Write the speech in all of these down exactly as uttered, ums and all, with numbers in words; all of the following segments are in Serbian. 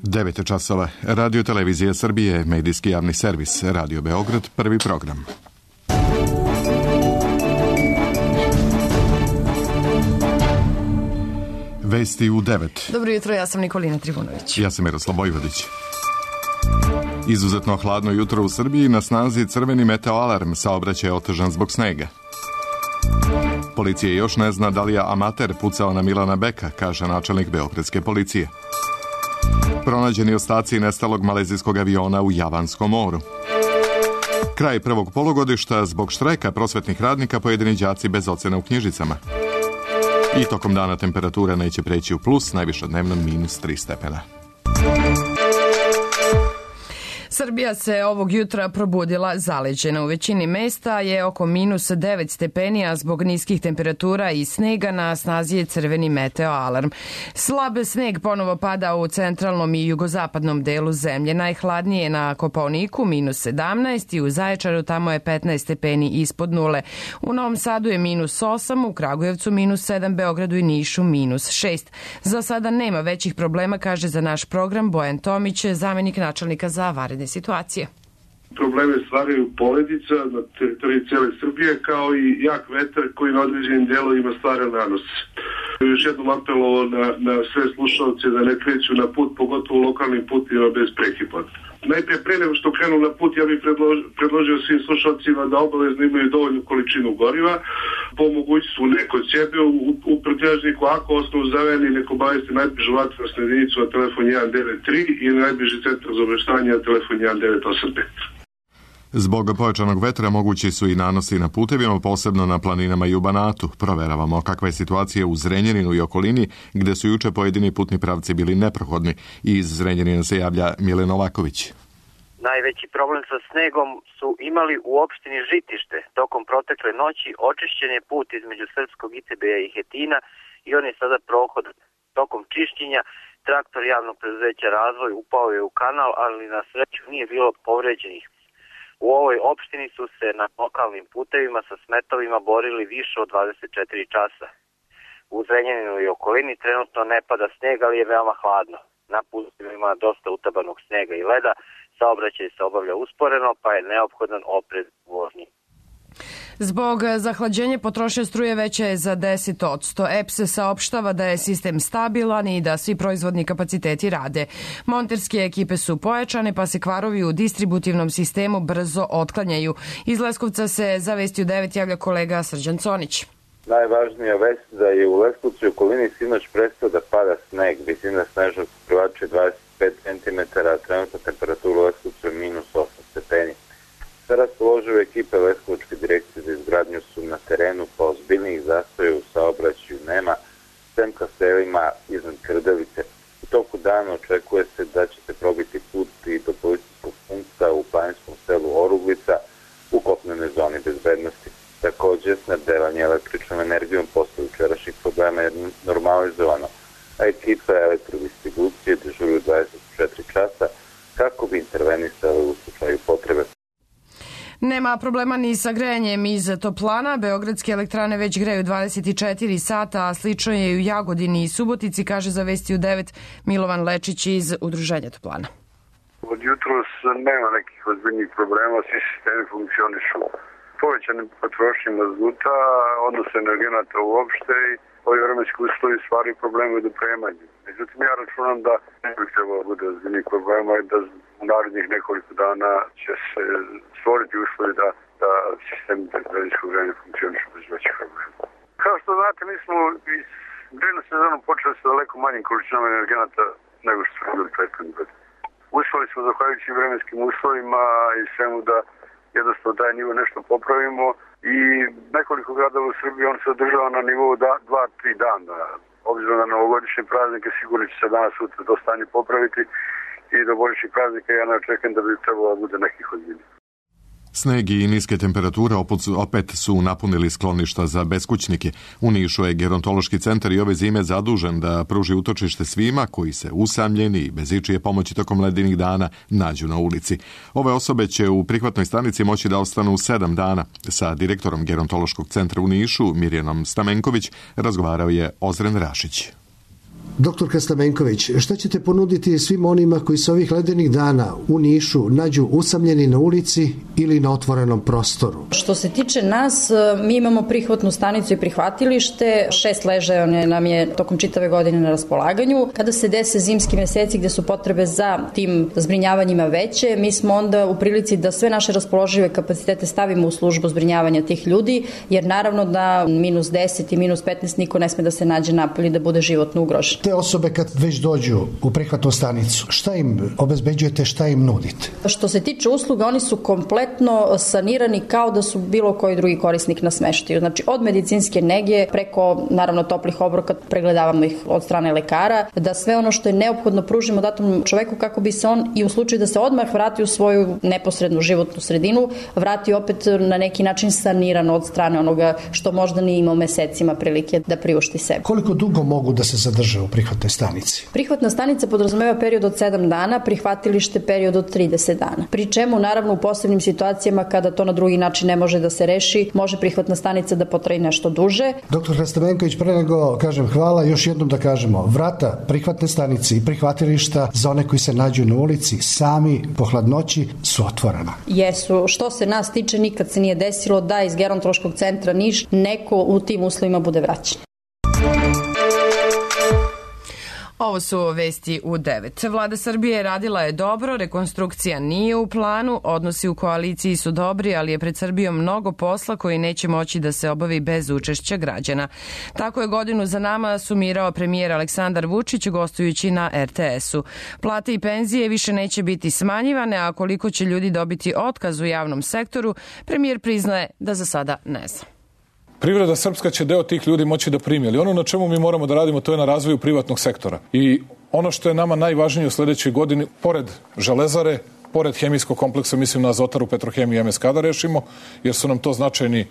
devet časova. Radio Televizija Srbije, medijski javni servis, Radio Beograd, prvi program. Vesti u devet. Dobro jutro, ja sam Nikolina Trivunović. Ja sam Miroslav Bojvodić. Izuzetno hladno jutro u Srbiji, na snazi crveni meteoalarm, saobraćaj je otežan zbog snega. Policija još ne zna da li je amater pucao na Milana Beka, kaže načelnik beogradske policije. Pronađeni ostaci nestalog malezijskog aviona u Javanskom moru. Kraj prvog polugodišta, zbog štrajka prosvetnih radnika pojedini đaci bez ocena u knjižicama. I tokom dana temperatura neće preći u plus, najviše dnevno minus tri stepena. Srbija se ovog jutra probudila zaleđena. U većini mesta je oko minus devet stepeni, a zbog niskih temperatura i snega na snazi je crveni meteoalarm. Slab sneg ponovo pada u centralnom i jugozapadnom delu zemlje. Najhladnije je na Kopaoniku, minus sedamnaest, i u Zaječaru tamo je petnaest stepeni ispod nule. U Novom Sadu je minus osam, u Kragujevcu minus sedam, Beogradu i Nišu minus šest. Za sada nema većih problema, kaže za naš program Bojan Tomić, zamenik načelnika za vanredne situacije. Probleme stvaraju poledica na teritoriji cijele Srbije, kao i jak vetar koji na određenim delovima stvara nanos. Još jednom apelovao na, na sve slušalce da ne kreću na put, pogotovo lokalnim putima bez prekipa. Najprije, pre nego što krenu na put, ja bih predložio, predložio svim slušalcima da obavezno imaju dovoljnu količinu goriva, po mogućstvu neko od sebe u, u pretražniku, ako osnovu zaveni, neko obavesti najbližu vatrogasnu jedinicu na telefon jedan devet tri i najbliži centar za obeštanje na telefon jedan devet osam pet. Zbog pojačanog vetra mogući su i nanosi na putevima, posebno na planinama i u Banatu. Proveravamo kakva je situacija u Zrenjaninu i okolini, gde su juče pojedini putni pravci bili neprohodni. Iz Zrenjanina se javlja Milen Novaković. Najveći problem sa snegom su imali u opštini Žitište. Tokom protekle noći očišćen je put između Srpskog I C B-a i Hetina i on je sada prohod. Tokom čišćenja traktor javnog preduzeća Razvoj upao je u kanal, ali na sreću nije bilo povređenih. U ovoj opštini su se na lokalnim putevima sa smetovima borili više od dvadeset četiri časa. U Zrenjaninu i okolini trenutno ne pada sneg, ali je veoma hladno. Na putevima ima dosta utabanog snega i leda, saobraćaj se obavlja usporeno, pa je neophodan oprez u vožnji. Zbog zahlađenja potrošnja struje veća je za deset posto. E P S saopštava da je sistem stabilan i da svi proizvodni kapaciteti rade. Monterske ekipe su pojačane, pa se kvarovi u distributivnom sistemu brzo otklanjaju. Iz Leskovca se za Vesti u devet javlja kolega Srđan Conić. Najvažnija vest da je u Leskovcu i okolini sinoć prestao da pada sneg. Visina snežnog pokrivača je dvadeset pet centimetara, a trenutna temperatura u Leskovcu je minus osam stepeni. Sve raspoložive ekipe Leskovačke direkcije za izgradnju su na terenu, pa ozbiljnijih zastoja u saobraćaju nema, sem ka selima iznad Krdevice. U toku dana očekuje se da će se probiti put i do policijskog punkta u planinskom selu Oruglica u kopnenoj zoni bezbednosti. Također, snabdevanje električnom energijom posle jučerašnjih problema je normalizovano, a ekipe elektrodistribucije dežuruju dvadeset četiri časa kako bi intervenisali u slučaju potrebe. Nema problema ni sa grejanjem iz toplana. Beogradske elektrane već greju dvadeset četiri sata, a slično je i u Jagodini i Subotici, kaže za Vesti u devet Milovan Lečić iz Udruženja toplana. Od jutros nema nekih ozbiljnih problema, svi sistemi funkcionišu. Povećane potrošnje mazuta, odnos energenata uopšte i ovi vremenski uslovi stvaraju probleme u dopremanju. Međutim, ja računam da ne bih trebalo da bude ozbiljnih problema i da u narednih nekoliko dana će se stvoriti uslovi da, da sistem daljinskog grejanja funkcioniše bez većih problema. Kao što znate, mi smo iz grejnu sezonu počeli sa daleko manjim količinama energenata nego što smo bili prethodnih godina. Uspeli smo, zahvaljujući vremenskim uslovima i svemu, da jednostavno taj nivo nešto popravimo i nekoliko gradova u Srbiji on se održava na nivou dva tri dana. Obzirom na novogodišnje praznike sigurno će se danas sutra to stanje popraviti i do božićnih praznika ja ne očekujem da bi trebalo da bude nekih ozbiljnih. Sneg i niske temperature opet su napunili skloništa za beskućnike. U Nišu je gerontološki centar i ove zime zadužen da pruži utočište svima koji se usamljeni i bez ičije pomoći tokom ledenih dana nađu na ulici. Ove osobe će u prihvatnoj stanici moći da ostanu sedam dana. Sa direktorom gerontološkog centra u Nišu, Mirjanom Stamenković, razgovarao je Ozren Rašić. Doktorka Stamenković, šta ćete ponuditi svim onima koji se ovih ledenih dana u Nišu nađu usamljeni na ulici ili na otvorenom prostoru? Što se tiče nas, mi imamo prihvatnu stanicu i prihvatilište, šest ležaja nam je tokom čitave godine na raspolaganju. Kada se dese zimski meseci gde su potrebe za tim zbrinjavanjima veće, mi smo onda u prilici da sve naše raspoložive kapacitete stavimo u službu zbrinjavanja tih ljudi, jer naravno da minus deset i minus petnaest niko ne sme da se nađe napolje da bude životno ugrožen. Te osobe kad već dođu u prihvatnu stanicu, šta im obezbeđujete, šta im nudite? Što se tiče usluga, oni su kompletno sanirani kao da su bilo koji drugi korisnik na smeštaju. Znači od medicinske nege preko naravno toplih obroka, pregledavamo ih od strane lekara, da sve ono što je neophodno pružimo datom čoveku kako bi se on i u slučaju da se odmah vrati u svoju neposrednu životnu sredinu, vrati opet na neki način saniran od strane onoga što možda nije imao mesecima prilike da priušti sebi. Koliko dugo mogu da se zadrže u prihvatnoj stanici? Prihvatna stanica podrazumeva period od sedam dana, prihvatilište period od trideset dana. Pri čemu naravno u posebnim situacijama kada to na drugi način ne može da se reši, može prihvatna stanica da potraje nešto duže. Doktor Stamenković, pre nego kažem hvala, još jednom da kažemo, vrata prihvatne stanice i prihvatilišta za one koji se nađu na ulici sami po hladnoći su otvorena. Jesu. Što se nas tiče, nikad se nije desilo da iz gerontološkog centra Niš neko u tim uslovima bude vraćen. Ovo su vesti u devet. Vlada Srbije radila je dobro, rekonstrukcija nije u planu, odnosi u koaliciji su dobri, ali je pred Srbijom mnogo posla koji neće moći da se obavi bez učešća građana. Tako je godinu za nama sumirao premijer Aleksandar Vučić gostujući na er te esu. Plate i penzije više neće biti smanjivane, a koliko će ljudi dobiti otkaz u javnom sektoru, premijer priznaje da za sada ne zna. Privreda srpska će deo tih ljudi moći da primi, ali ono na čemu mi moramo da radimo to je na razvoju privatnog sektora. I ono što je nama najvažnije u sledećoj godini, pored železare, pored hemijskog kompleksa, mislim na Azotaru, Petrohemiju i em es ka da rešimo, jer su nam to značajni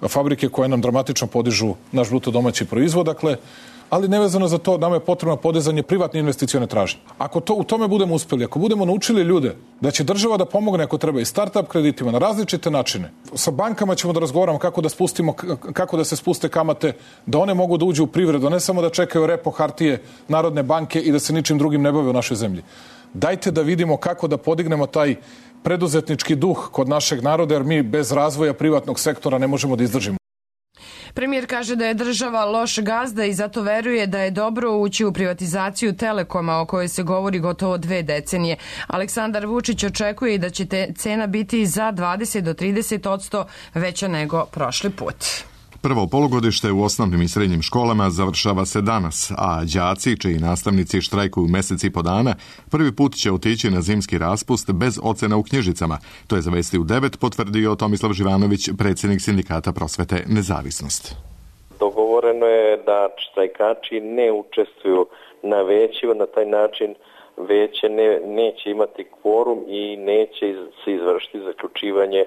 fabrike koje nam dramatično podižu naš bruto domaći proizvod, dakle, ali nevezano za to, nama je potrebno podizanje privatne investicione tražnje. Ako to, u tome budemo uspeli, ako budemo naučili ljude da će država da pomogne ako treba i start-up kreditima na različite načine, sa bankama ćemo da razgovaramo kako da spustimo, kako da se spuste kamate, da one mogu da uđu u privredu, ne samo da čekaju repo hartije Narodne banke i da se ničim drugim ne bave u našoj zemlji. Dajte da vidimo kako da podignemo taj preduzetnički duh kod našeg naroda, jer mi bez razvoja privatnog sektora ne možemo da izdržimo. Premijer kaže da je država loš gazda i zato veruje da je dobro ući u privatizaciju Telekoma o kojoj se govori gotovo dve decenije. Aleksandar Vučić očekuje i da će te cena biti za dvadeset do trideset posto veća nego prošli put. Prvo polugodište u osnovnim i srednjim školama završava se danas, a đaci, čiji nastavnici štrajkuju mesec i po dana, prvi put će otići na zimski raspust bez ocena u knjižicama. To je za Vesti u devet potvrdio Tomislav Živanović, predsjednik Sindikata prosvete Nezavisnost. Dogovoreno je da štrajkači ne učestvuju na većima, na taj način veće ne, neće imati kvorum i neće se izvršiti zaključivanje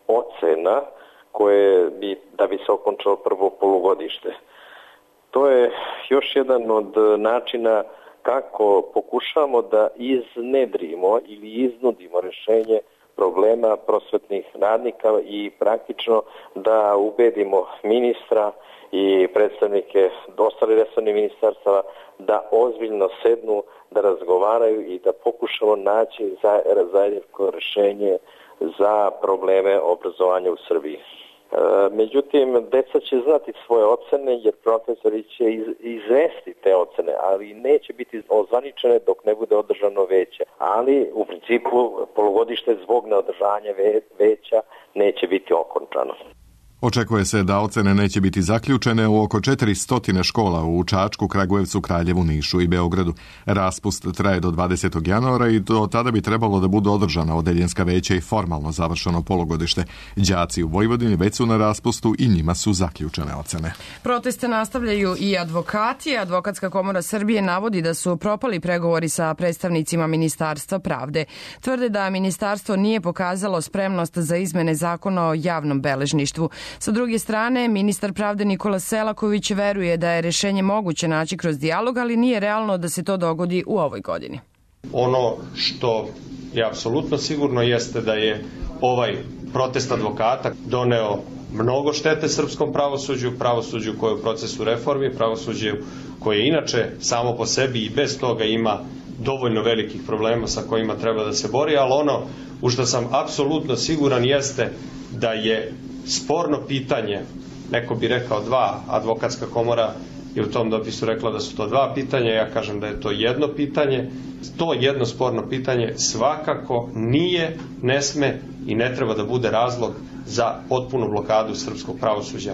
ocena koje bi, da bi se okončalo prvo polugodište. To je još jedan od načina kako pokušamo da iznedrimo ili iznudimo rešenje problema prosvetnih radnika i praktično da ubedimo ministra i predstavnike ostalih resornih ministarstava da ozbiljno sednu, da razgovaraju i da pokušamo naći zajedničko rešenje za probleme obrazovanja u Srbiji. Međutim, deca će znati svoje ocene jer profesori će izvesti te ocene, ali neće biti ozvaničene dok ne bude održano veće. Ali u principu polugodište zbog neodržanja veća neće biti okončano. Očekuje se da ocene neće biti zaključene u oko četiristo škola u Čačku, Kragujevcu, Kraljevu, Nišu i Beogradu. Raspust traje do dvadesetog januara i do tada bi trebalo da budu održana odeljenska veća i formalno završeno polugodište. Đaci u Vojvodini već su na raspustu i njima su zaključene ocene. Proteste nastavljaju i advokati. Advokatska komora Srbije navodi da su propali pregovori sa predstavnicima Ministarstva pravde. Tvrde da ministarstvo nije pokazalo spremnost za izmene zakona o javnom beležništvu. Sa druge strane, ministar pravde Nikola Selaković veruje da je rešenje moguće naći kroz dijalog, ali nije realno da se to dogodi u ovoj godini. Ono što je apsolutno sigurno jeste da je ovaj protest advokata doneo mnogo štete srpskom pravosuđu, pravosuđu koje je u procesu reformi, pravosuđu koje inače samo po sebi i bez toga ima dovoljno velikih problema sa kojima treba da se bori, ali ono u što sam apsolutno siguran jeste da je sporno pitanje, neko bi rekao dva, advokatska komora je u tom dopisu rekla da su to dva pitanja, ja kažem da je to jedno pitanje. To jedno sporno pitanje svakako nije, ne sme i ne treba da bude razlog za potpunu blokadu srpskog pravosuđa.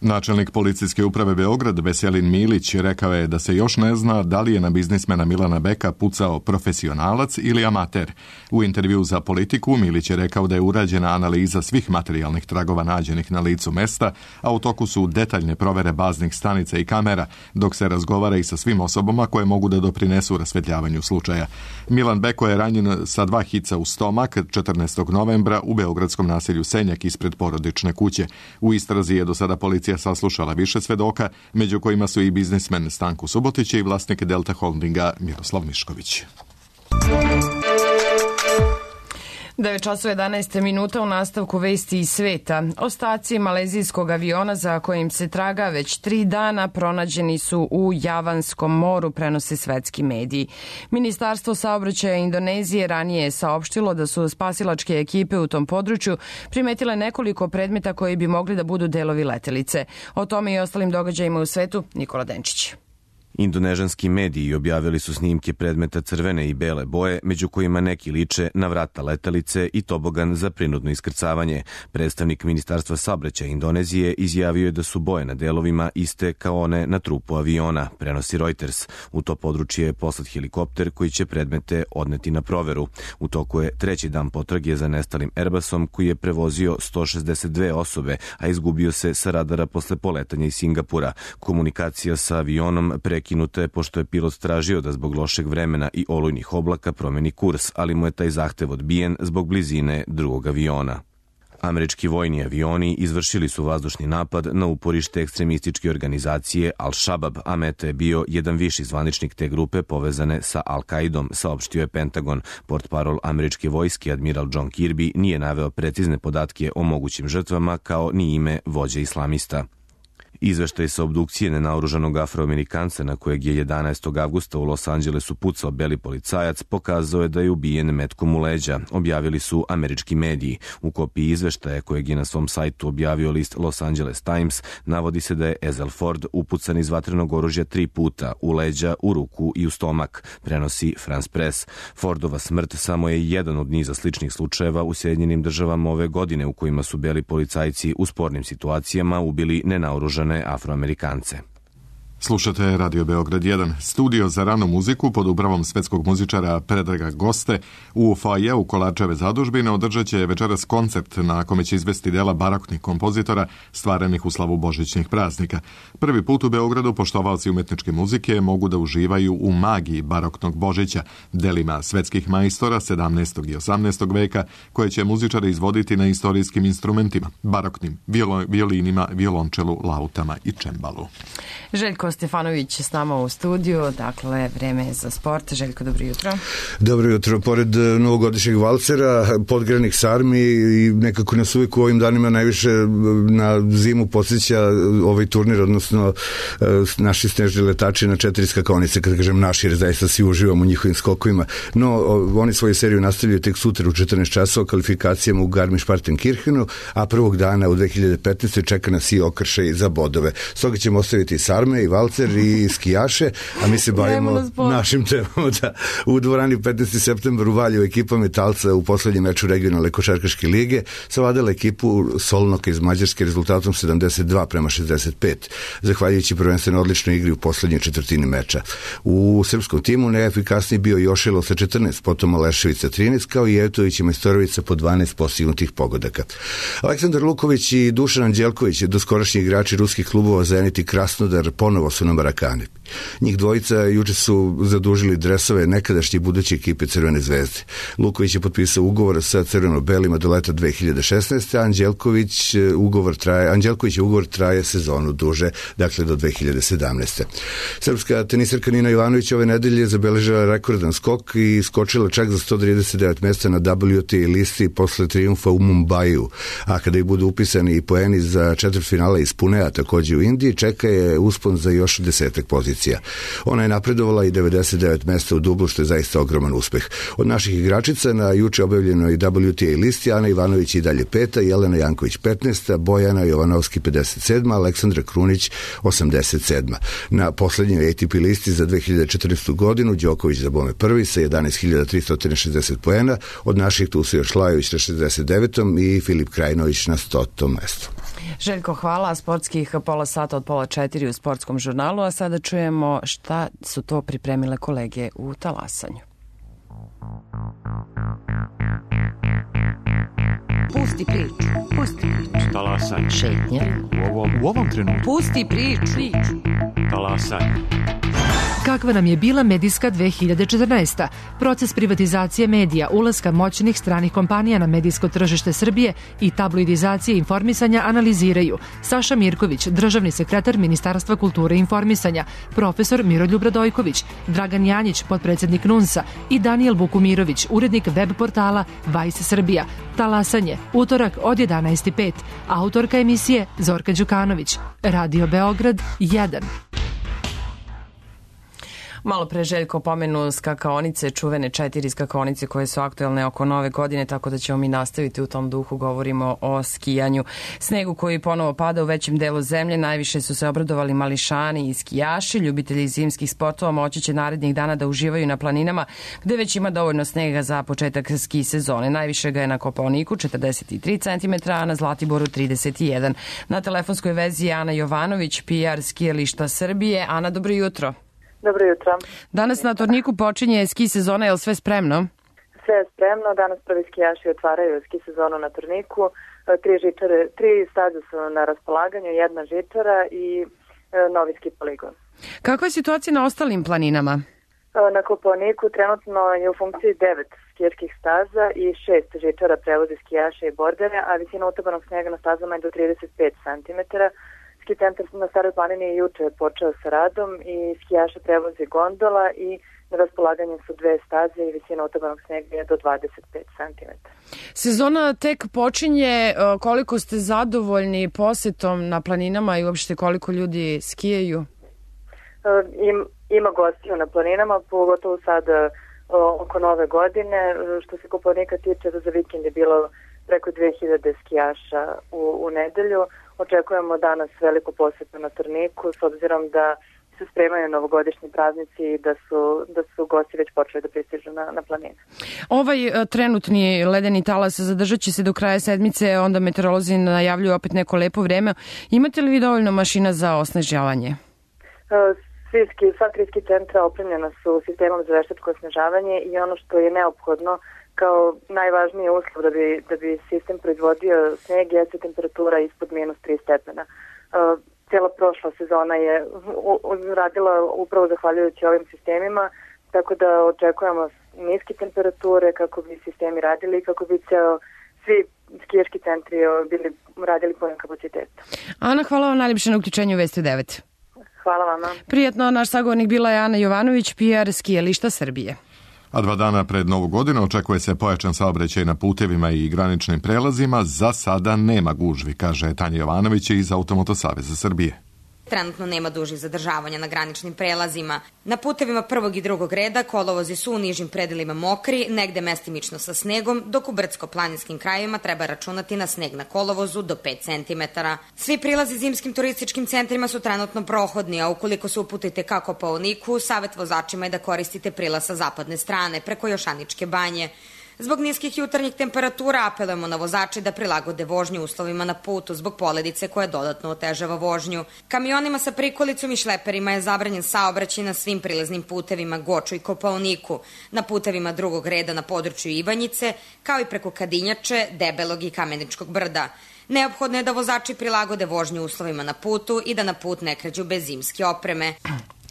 Načelnik policijske uprave Beograd Veselin Milić rekao je da se još ne zna da li je na biznismena Milana Beka pucao profesionalac ili amater. U intervju za Politiku Milić je rekao da je urađena analiza svih materijalnih tragova nađenih na licu mesta, a u toku su detaljne provere baznih stanica i kamera, dok se razgovara i sa svim osobama koje mogu da doprinesu rasvetljavanju slučaja. Milan Beko je ranjen sa dva hica u stomak četrnaestog novembra u beogradskom naselju Senjak ispred porodične kuće. U istrazi je do sada policija saslušala više svedoka, među kojima su i biznismen Stanko Subotić i vlasnik Delta Holdinga Miroslav Mišković. devet časova jedanaest minuta u nastavku vesti iz sveta. Ostaci malezijskog aviona za kojim se traga već tri dana pronađeni su u Javanskom moru, prenose svetski mediji. Ministarstvo saobraćaja Indonezije ranije je saopštilo da su spasilačke ekipe u tom području primetile nekoliko predmeta koji bi mogli da budu delovi letelice. O tome i ostalim događajima u svetu Nikola Denčić. Indonežanski mediji objavili su snimke predmeta crvene i bele boje, među kojima neki liče na vrata letelice i tobogan za prinudno iskrcavanje. Predstavnik Ministarstva saobraćaja Indonezije izjavio je da su boje na delovima iste kao one na trupu aviona, prenosi Reuters. U to područje je poslat helikopter koji će predmete odneti na proveru. U toku je treći dan potrage za nestalim Airbusom koji je prevozio sto šezdeset dve osobe, a izgubio se sa radara posle poletanja iz Singapura. Komunikacija sa avionom pre Prekinuta je pošto je pilot tražio da zbog lošeg vremena i olujnih oblaka promeni kurs, ali mu je taj zahtev odbijen zbog blizine drugog aviona. Američki vojni avioni izvršili su vazdušni napad na uporište ekstremističke organizacije Al-Shabab, a meta je bio jedan viši zvaničnik te grupe povezane sa Al-Kaidom, saopštio je Pentagon. Portparol američke vojske admiral John Kirby nije naveo precizne podatke o mogućim žrtvama kao ni ime vođe islamista. Izveštaj sa obdukcije nenaoružanog Afroamerikanca na kojeg je jedanaestog avgusta u Los Angelesu pucao beli policajac pokazao je da je ubijen metkom u leđa, objavili su američki mediji. U kopiji izveštaja kojeg je na svom sajtu objavio list Los Angeles Times navodi se da je Ezel Ford upucan iz vatrenog oružja tri puta, u leđa, u ruku i u stomak, prenosi France Press. Fordova smrt samo je jedan od niza sličnih slučajeva u Sjedinjenim državama ove godine u kojima su beli policajci u spornim situacijama ubili nenaoružane Afroamerikance. Slušate Radio Beograd jedan. Studio za ranu muziku pod upravom svetskog muzičara Predraga Goste u foajeu Kolarčeve zadužbine održat će večeras koncert na kome će izvesti dela baroknih kompozitora stvarenih u slavu božićnih praznika. Prvi put u Beogradu poštovaoci umetničke muzike mogu da uživaju u magiji baroknog Božića, delima svetskih majstora sedamnaestog i osamnaestog veka, koje će muzičari izvoditi na istorijskim instrumentima, baroknim violinima, violončelu, lautama i čembalu. Željko Stefanović s nama u studiju, dakle vreme je za sport. Željko, dobro jutro. Dobro jutro. Pored novogodišnjeg valcera, podgranik sarmi i nekako nas uvijek u ovim danima najviše na zimu podsjeća ovaj turnir, odnosno naši snežni letači na četiri skakonice, kad kažem naši, jer zaista svi uživamo u njihovim skokovima. No, oni svoju seriju nastavljaju tek sutra u četrnaest časova kvalifikacijama u Garmisch-Partenkirchenu, a prvog dana u dve hiljade petnaestoj čeka nas i okršaj za bodove. Stoga ćemo ostaviti i sarme i valcer i skijaše, a mi se bavimo našim temama. Da. U dvorani petnaestog septembra u Valjevu ekipa Metalca u poslednjem meču regionalne košarkaške lige savladala ekipu Solnoka iz Mađarske rezultatom sedamdeset dva prema šezdeset pet, zahvaljujući prvenstveno odličnoj igri u poslednjoj četvrtini meča. U srpskom timu najefikasniji bio Jošilo sa četrnaest, potom Alešević trinaest, kao i Evtović i Majstorović po dvanaest postignutih pogodaka. Aleksandar Luković i Dušan Anđelković, doskorašnji igrači ruskih klubova Zenit i Krasnodar, ponovo ovo su na Marakani. Njih dvojica juče su zadužili dresove nekadašnje buduće ekipe Crvene zvezde. Luković je potpisao ugovor sa crveno-belima do leta dve hiljade šesnaeste. Anđelković ugovor traje, Anđelković ugovor traje sezonu duže, dakle do dve hiljade sedamnaeste. Srpska tenisarka Nina Jovanović ove nedelje zabeležila rekordan skok i skočila čak za sto trideset devet mesta na W T A listi posle trijumfa u Mumbaju. A kada i budu upisani i poeni za četvrtfinale iz Punea, takođe u Indiji, čeka je uspon za još desetak pozicija. Ona je napredovala i devedeset devet mesta u dublu, što je zaista ogroman uspeh. Od naših igračica na juče objavljenoj W T A listi Ana Ivanović i dalje peta, Jelena Janković petnaesta, Bojana Jovanovski pedeset sedma, Aleksandra Krunić osamdeset sedma. Na poslednjoj A T P listi za dve hiljade četrnaestu godinu Đoković za bome prvi sa jedanaest hiljada tristo šezdeset poena, od naših tu su još Lajović na šezdeset devetom i Filip Krajinović na stotom mestu. Željko, hvala. Sportskih pola sata od pola četiri u Sportskom žurnalu, a sada čujemo šta su to pripremile kolege u talasanju. Pusti priču, pusti priču. Talasanje. Šetnja. U ovom, u ovom trenutku. Pusti priču. Talasanje. Kakva nam je bila medijska dve hiljade četrnaesta. Proces privatizacije medija, ulaska moćnih stranih kompanija na medijsko tržište Srbije i tabloidizacije informisanja analiziraju Saša Mirković, državni sekretar Ministarstva kulture i informisanja, profesor Miroljub Radojković, Dragan Janjić, potpredsednik NUNS-a i Danijel Bukumirović, urednik web portala Vice Srbija. Talasanje, utorak od jedanaest i pet. Autorka emisije Zorka Đukanović. Radio Beograd jedan. Malo pre Željko pomenu skakaonice, čuvene četiri skakaonice koje su aktuelne oko nove godine, tako da ćemo mi nastaviti u tom duhu. Govorimo o skijanju. Snegu koji ponovo pada u većem delu zemlje, najviše su se obradovali mališani i skijaši. Ljubitelji zimskih sportova moći će narednih dana da uživaju na planinama, gde već ima dovoljno snega za početak ski sezone. Najviše ga je na Kopaoniku, četrdeset tri centimetra, a na Zlatiboru trideset jedan. Na telefonskoj vezi je Ana Jovanović, P R skijališta Srbije. Ana, dobro jutro. Dobro jutro. Danas na Torniku počinje ski sezona, je li sve spremno? Sve je spremno, danas prvi skijaši otvaraju ski sezonu na Torniku, tri, žičare, tri staze su na raspolaganju, jedna žičara i e, novi ski poligon. Kakva je situacija na ostalim planinama? E, na Kopaoniku trenutno je u funkciji devet skijaških staza i šest žičara prevozi skijaše i bordere, a visina utopanog snega na stazama je do trideset pet centimetara. Ski centar na Staroj planini je juče počeo sa radom i skijaše prevozi gondola i na raspolaganju su dve staze i visina utopanog snega je do dvadeset pet centimetara. Sezona tek počinje. Koliko ste zadovoljni posetom na planinama i uopšte koliko ljudi skijaju? Im, ima gostiju na planinama, pogotovo sad oko nove godine. Što se Kopaonika tiče, za vikend je bilo preko dve hiljade skijaša u, u nedelju. Očekujemo danas veliku posetu na Torniku, s obzirom da se spremaju novogodišnji praznici i da su, da su gosti već počeli da pristižu na, na planine. Ovaj a, trenutni ledeni talas zadržat će se do kraja sedmice, onda meteorolozi najavljuju opet neko lepo vreme. Imate li vi dovoljno mašina za osnežavanje? Svi ski, sva tri ski centra opremljena su sistemom za veštačko osnežavanje i ono što je neophodno kao najvažniji uslov da bi, da bi sistem proizvodio sneg jeste temperatura ispod minus tri stepena. Uh, cijela prošla sezona je radila upravo zahvaljujući ovim sistemima, tako da očekujemo niske temperature kako bi sistemi radili i kako bi ceo, svi skijaški centri bili radili punim kapacitetom. Ana, hvala vam najljepše na uključenju Vesti devet. Hvala vama. Prijetno, naš sagovornik bila je Ana Jovanović, P R skijališta Srbije. A dva dana pred Novu godinu očekuje se pojačan saobraćaj na putevima i graničnim prelazima. Za sada nema gužvi, kaže Tanja Jovanović iz Automoto saveza Srbije. Trenutno nema dužih zadržavanja na graničnim prelazima. Na putevima prvog i drugog reda kolovozi su u nižim predelima mokri, negde mestimično sa snegom, dok u brdsko-planinskim krajevima treba računati na sneg na kolovozu do pet centimetara. Svi prilazi zimskim turističkim centrima su trenutno prohodni, a ukoliko se uputite ka Kopaoniku, savet vozačima je da koristite prilaz sa zapadne strane, preko Jošaničke banje. Zbog niskih jutarnjih temperatura apelujemo na vozače da prilagode vožnju uslovima na putu zbog poledice koja dodatno otežava vožnju. Kamionima sa prikolicom i šleperima je zabranjen saobraćaj na svim prilaznim putevima Goču i Kopaoniku, na putevima drugog reda na području Ivanjice, kao i preko Kadinjače, Debelog i Kameničkog brda. Neophodno je da vozači prilagode vožnju uslovima na putu i da na put ne kređu bez zimske opreme.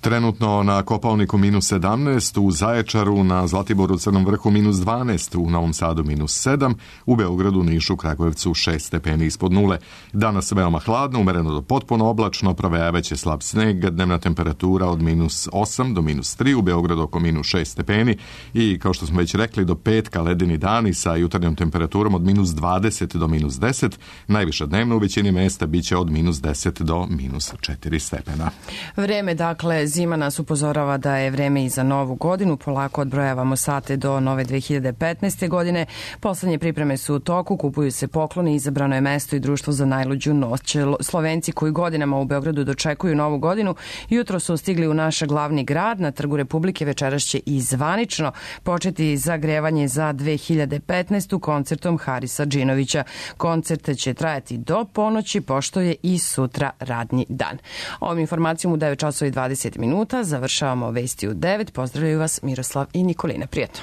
Trenutno na Kopaoniku minus sedamnaest, u Zaječaru, na Zlatiboru, Crnom vrhu minus dvanaest, u Novom Sadu minus sedam, u Beogradu, Nišu, Kragujevcu šest stepeni ispod nule. Danas veoma hladno, umereno do potpuno oblačno, provejavaće slab sneg, dnevna temperatura od minus osam do minus tri, u Beogradu oko minus šest stepeni i, kao što smo već rekli, do petka ledeni dani sa jutarnjom temperaturom od minus dvadeset do minus deset, najviša dnevna u većini mesta biće od minus deset do minus četiri stepena. Vreme, dakle, zima nas upozorava da je vreme i za novu godinu. Polako odbrojavamo sate do nove dve hiljade petnaeste. godine. Poslednje pripreme su u toku, kupuju se pokloni, izabrano je mesto i društvo za najluđu noć. Slovenci koji godinama u Beogradu dočekuju novu godinu, jutro su stigli u naš glavni grad. Na Trgu Republike večeras će i zvanično početi zagrevanje za dve hiljade petnaestu. koncertom Harisa Džinovića. Koncert će trajati do ponoći, pošto je i sutra radnji dan. Ovom informacijom u devet časova i dvadeset minuta završavamo vesti u devet. Pozdravljaju vas Miroslav i Nikolina. Prijetno.